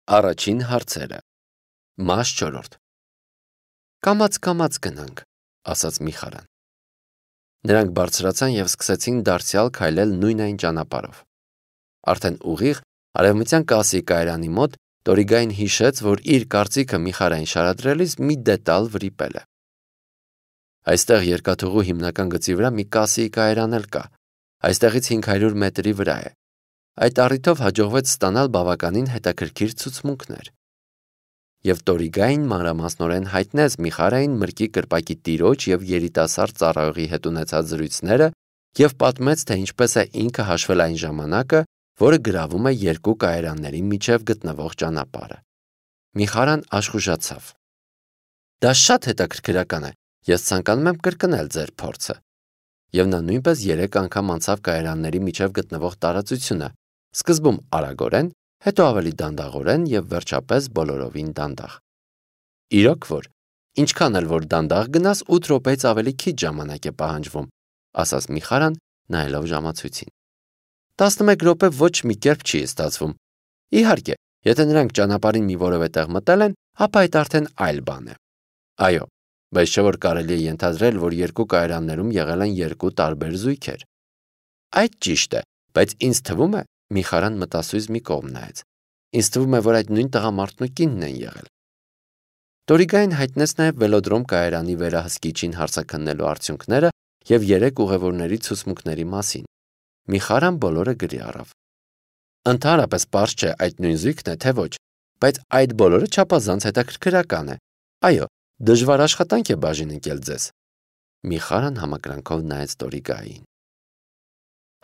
Առաջին հարցերը։ Մաս 4. Կամաց գնանք, ասաց Միխարան։ Նրանք բարձրացան եւ սկսեցին դարձյալ քայլել նույն այն ճանապարհով։ Արդեն ուղիղ արևմտյան կասի կայարանի մոտ Տորիգային հիշեց, որ իր կարծիքը Միխարային շարադրելիս մի դետալ վրիպել է։ Այստեղ երկաթուղու հիմնական գծի վրա մի կասի կայարան էլ կա։ Այստեղից 500 մետրի վրա է։ Այդ առիթով հաջողվեց ստանալ բավականին հետաքրքիր ցուցմունքներ։ Եվ Տորիգային մանրամասնորեն հայտնեց Միխարային մրգի կրպակի տիրոջ եւ երիտասարդ ծառայողի հետ ունեցած զրույցները եւ պատմեց, թե ինչպես է ինքը հաշվել այն ժամանակը, որը գրավում է երկու կայարանների միջև գտնվող ճանապարհը։ Միխարան աշխուժացավ։ Դա շատ հետաքրքրական է։ Ես ցանկանում եմ կրկնել ձեր փորձը։ Եվ նա նույնպես 3 անգամ անցավ կայարանների միջև գտնվող տարածությունը, սկզբում արագորեն, հետո ավելի դանդաղորեն եւ վերջապես բոլորովին դանդաղ։ Իրոք որ, ինչքան էլ որ դանդաղ գնաս 8 րոպեից ավելի քիչ ժամանակ է պահանջվում, ասաց Միխարան, նայելով ժամացույցին։ 11 րոպե ոչ մի կերպ չի ստացվում։ Իհարկե, եթե նրանք ճանապարհին մի որևէ տեղ մտել են, ապա այդ արդեն այլ բան է։ Այո, բայց չէ որ կարելի է ենթադրել, որ երկու կայարաններում եղել են երկու տարբեր զույգեր։ Այդ ճիշտ է, բայց ինձ թվում է, Միխարան մտասույզ մի կողմ նայեց։ Ինձ թվում է, որ այդ նույն տղամարդն ու կինն են եղել։ Տորիգային հայտնեց նաև վելոդրոմ կայարանի վերահսկիչին հարցաքննելու արդյունքները եւ 3 ուղևորների ցուցմունքների մասին։ Միխարան բոլորը գրի առավ։ Ընդհանրապես պարզ չէ այդ նույն զույգն է, թե ոչ, բայց այդ բոլորը չափազանց հետաքրքրական է։ Այո, դժվար աշխատանք է բաժին ընկել ձեզ։ Միխարան համակրանքով նայեց Տորիգային։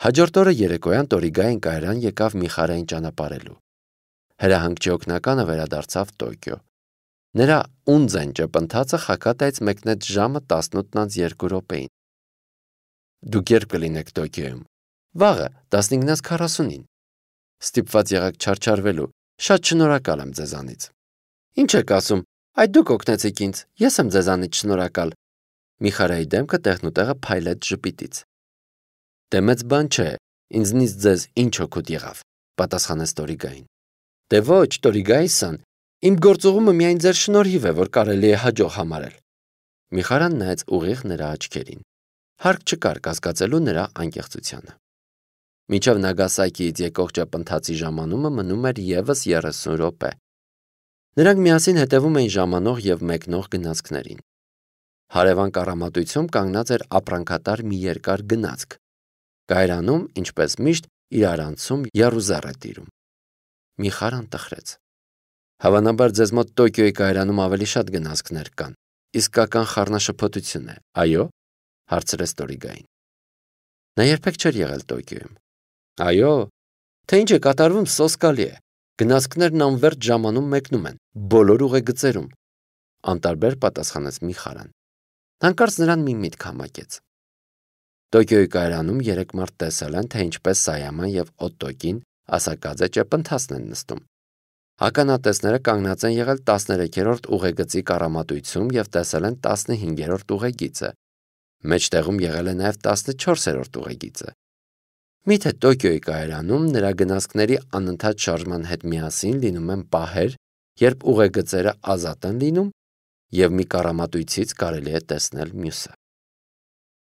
Հաջորդ օրը երեկոյան Տորիգային կայարան եկավ Միխարային ճանապարհելու։ Հրահանգչի օգնականը վերադարձավ Տոկիո։ Նրա ունձեն ճպընթացը Խակատայից մեկնեց ժամը 18:02 Դուք երբ կլինեք Տոկիոյում։ Վաղը 15:40-ին։ Ստիպված եղաք չարչարվելու։ Շատ շնորհակալ եմ ձեզանից։ Ինչ եք ասում, այդ դուք օգնեցիք ինձ, ես եմ ձեզանից շնորհակալ։ Միխարայի դեմքը տեղնուտեղը փայլեց ժպիտից։ Դե մեծ բան չէ, ինձնից ձեզ ինչ օգուտ եղավ, պատասխանեց Տորիգային։ Դե ոչ, Տորիգայի-սան, իմ գործողումը միայն ձեր շնորհիվ է, որ կարելի է հաջող համարել։ Միխարան նայեց ուղիղ նրա աչքերին։ Հարկ չկար կասկածելու նրա անկեղծությանը։ Մինչև Նագասակիից եկող ճապընթացի ժամանումը մնում էր եւս 30 րոպե։ Նրանք միասին հետևում էին ժամանող եւ մեկնող գնացքներին։ Հարևան կառամատույցում կանգնած էր ապրանքատար մի երկար գնացք։ Կայարանում, ինչպես միշտ, իրարանցում եռուզեռ է տիրում։ Միխարան տխրեց։ Հավանաբար ձեզ մոտ Տոկիոյի կայարանում ավելի շատ գնացքներ կան։ Իսկական խառնաշփոթություն է, այո՞, հարցրեց Տորիգային։ Նա երբեք չէր եղել Տոկիոյում։ Այո, թե ինչ է կատարվում, սոսկալի է։ Գնացքներն անվերջ ժամանում մեկնում են, բոլոր ուղեգծերում, անտարբեր պատասխանեց Միխարան։ Հանկարծ նրան մի միտք համակեց։ Տոկիոյի կայարանում 3 մարդ տեսել են, թե ինչպես Սայաման եւ Օտոկին ասակաձե ճեպընթացն են նստում։ Ականատեսները կանգնած են եղել 13-րդ ուղեգծի կառամատույցում եւ տեսել են 15-րդ ուղեգիծը։ Մեջտեղում եղել է նաեւ 14-րդ ուղեգիծը։ Միթե Տոկիոյի կայարանում նրա գնացքների անընդհատ շարժման հետ միասին լինում են պահեր, երբ ուղեգծերը ազատ են լինում եւ մի կառամատույցից կարելի է տեսնել մյուսը։